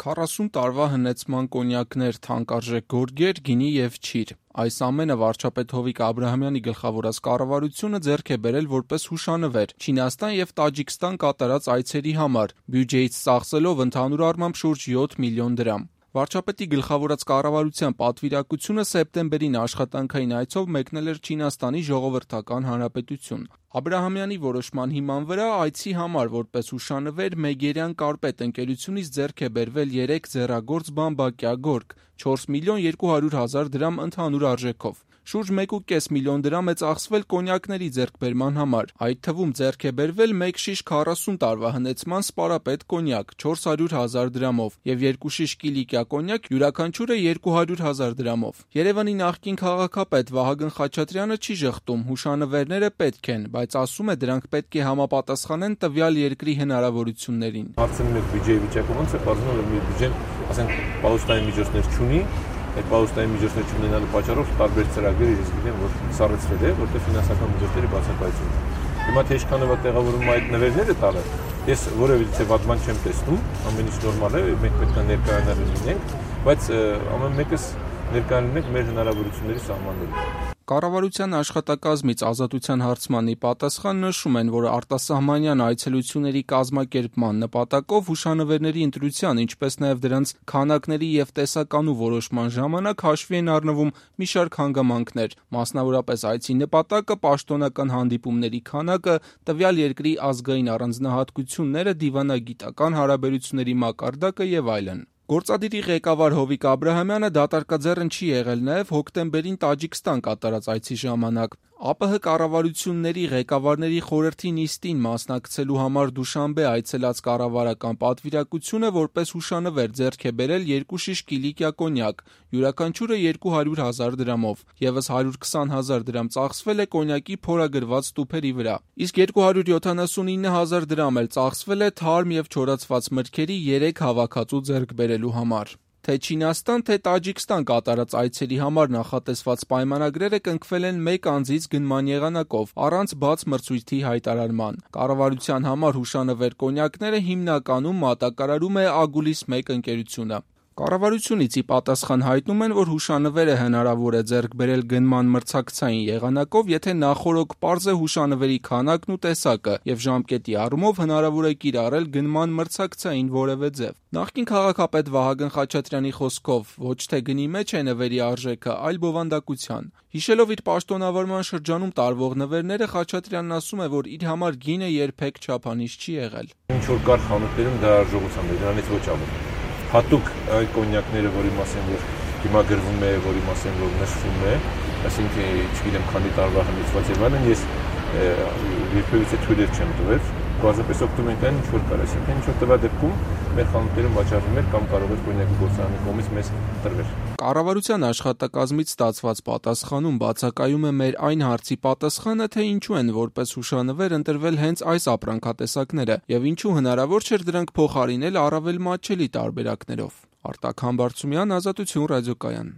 40 տարվա հնեցման կոնյակներ, թանկարժեք գորգեր, գինի և չիր։ Այս ամենը վարչապետ Հովիկ Աբրահամյանի գլխավորած կառավարությունը ձեռք է բերել որպես հուշանվեր Չինաստան և Տաջիկստան կատարած այցերի համար, բյուջեից ծախսելով ընդհանուր առմամբ շուրջ 7 միլիոն դրամ։ Վարչապետի գլխավորած կառավարության պատվիրակությունը սեպտեմբերին աշխատանքային այցով մեկնել էր Չինաստանի Ժողովրդական Հանրապետություն։ Աբրահամյանի որոշման հիման վրա այցի համար որպես հուշանվեր Մեգերյան կարպետ ընկերությունից ձեռք է բերվել 3 ձեռագործ բամբակյա գորգ, 4 միլիոն 200 հազար դրամ ընդհանուր արժեքով։ Շուրջ 1,5 միլիոն դրամ է ծախսվել կոնյակների ձեռքբերման համար, այդ թվում ձեռք է բերվել 1 շիշ 40 տարվա հնեցման սպարապետ կոնյակ 400 հազար դրամով և 2 շիշ կիլիկյա կոնյակ յուրաքանչյուրը 200 հազար դրամով։ Երևանի նախկին քաղաքապետ Վահագն Խաչատրյանը չի ժխտում, հուշանվերները պետք են, բայց ասում է դրանք պետք է համապատասխանեն տվյալ երկրի հնարավորություններին։ Հարցնում եք բյուջեի վիճակը ոնց է, պարզվում է մի բյուջեն, ասենք, պահուստային միջոցներ չունի, այդ պահուստային միջոցներ չունենալու պատճառով տարբեր ծրագրեր ես գիտեմ, որ սառեցվել է, որտեղ ֆինանսական միջոցների բացակայություն է։ Հիմա թե ինչքանով է տեղավորվում այդ նվերները տալը, ես որևիցե վատ բան չեմ տեսնում, ամեն ինչ նորմալ է, մենք պետք է ներկայանալ լինենք, բայց ամեն մեկս ներկայանալու մեր հնարավորությունների սահմաններում։ Կառավարության աշխատակազմից Ազատության հարցմանի պատասխան նշում են, որ արտասահմանյան այցելությունների կազմակերպման նպատակով հուշանվերների ընտրության, ինչպես նաև դրանց քանակների և տեսականու որոշման ժամանակ հաշվի են առնվում մի շարք հանգամանքներ, մասնավորապես այցի նպատակը, պաշտոնական հանդիպումների քանակը, տվյալ երկրի ազգային առանձնահատկությունները, դիվանագիտական հարաբերությունների մակարդակը և այլն։ Գործադիրի ղեկավար Հովիկ Աբրահամյանը դատարկաձեռն չի եղել նաև հոկտեմբերին Տաջիկստան կատարած այցի ժամանակ։ ԱՊՀ կառավարությունների ղեկավարների խորհրդի նիստին մասնակցելու համար Դուշանբե այցելած կառավարական պատվիրակությունը որպես հուշանվեր ձեռք է բերել 2 շիշ կիլիկյա կոնյակ, յուրաքանչյուրը 200 հազար դրամով, ևս 120 հազար դրամ ծախսվել է կոնյակի փորագրված տուփերի վրա, իսկ 279 հազար դրամ էլ ծախսվել է թարմ և չորացված մրգերի 3 հավաքածու ձեռք բերելու համար։ Թե Չինաստան, թե Տաջիկստան կատարած այցերի համար նախատեսված պայմանագրերը կնքվել են մեկ անձից գնման եղանակով, առանց բաց մրցույթի հայտարարման։ Կառավարության համար հուշանվեր կոնյակները հիմնականում մատակարարում է Ագուլիս 1 ընկերությունը։ Կառավարությունից ի պատասխան հայտնում են, որ հուշանվերը հնարավոր է ձեռք բերել գնման մրցակցային եղանակով, եթե նախօրոք պարզ է հուշանվերի քանակն ու տեսակը և ժամկետի առումով հնարավոր է կիրառել գնման մրցակցային որևէ ձև։ Նախկին քաղաքապետ Վահագն Խաչատրյանի խոսքով ոչ թե գնի մեջ է նվերի արժեքը, այլ բովանդակության։ Հիշելով իր պաշտոնավարման շրջանում տարվող նվերները, Խաչատրյանն ասում է, որ իր համար գինը երբեք չափանիշ չի եղել։ Ինչ որ կար խանութներում դա արժողությամբ է, դրանից ոչ ավելի։ Հատուկ այդ կոնյակները, որի մասին որ հիմա գրվում է, որի մասին որ նշվում է, այսինքն չգիտեմ քանի տարվա հնեցված եւ այլն, ես երբևիցե թույլ չեմ տվել, բազմապես օգտվում ենք այն ինչ որ կար, այսինքն ինչ որ տվյալ դեպքում մեր խանութներում վաճառվում էր կամ կարող էր կոնյակի գործարանի կողմից մեզ տրվել։ Կառավարության աշխատակազմից ստացված պատասխանում բացակայում է մեր այն հարցի պատասխանը, թե ինչու են որպես հուշանվեր ընտրվել հենց այս ապրանքատեսակները եւ ինչու հնարավոր չէր դրանք փոխարինել առավել մատչելի տարբերակներով։ Արտակ Համբարձումյան, Ազատություն ռադիոկայան։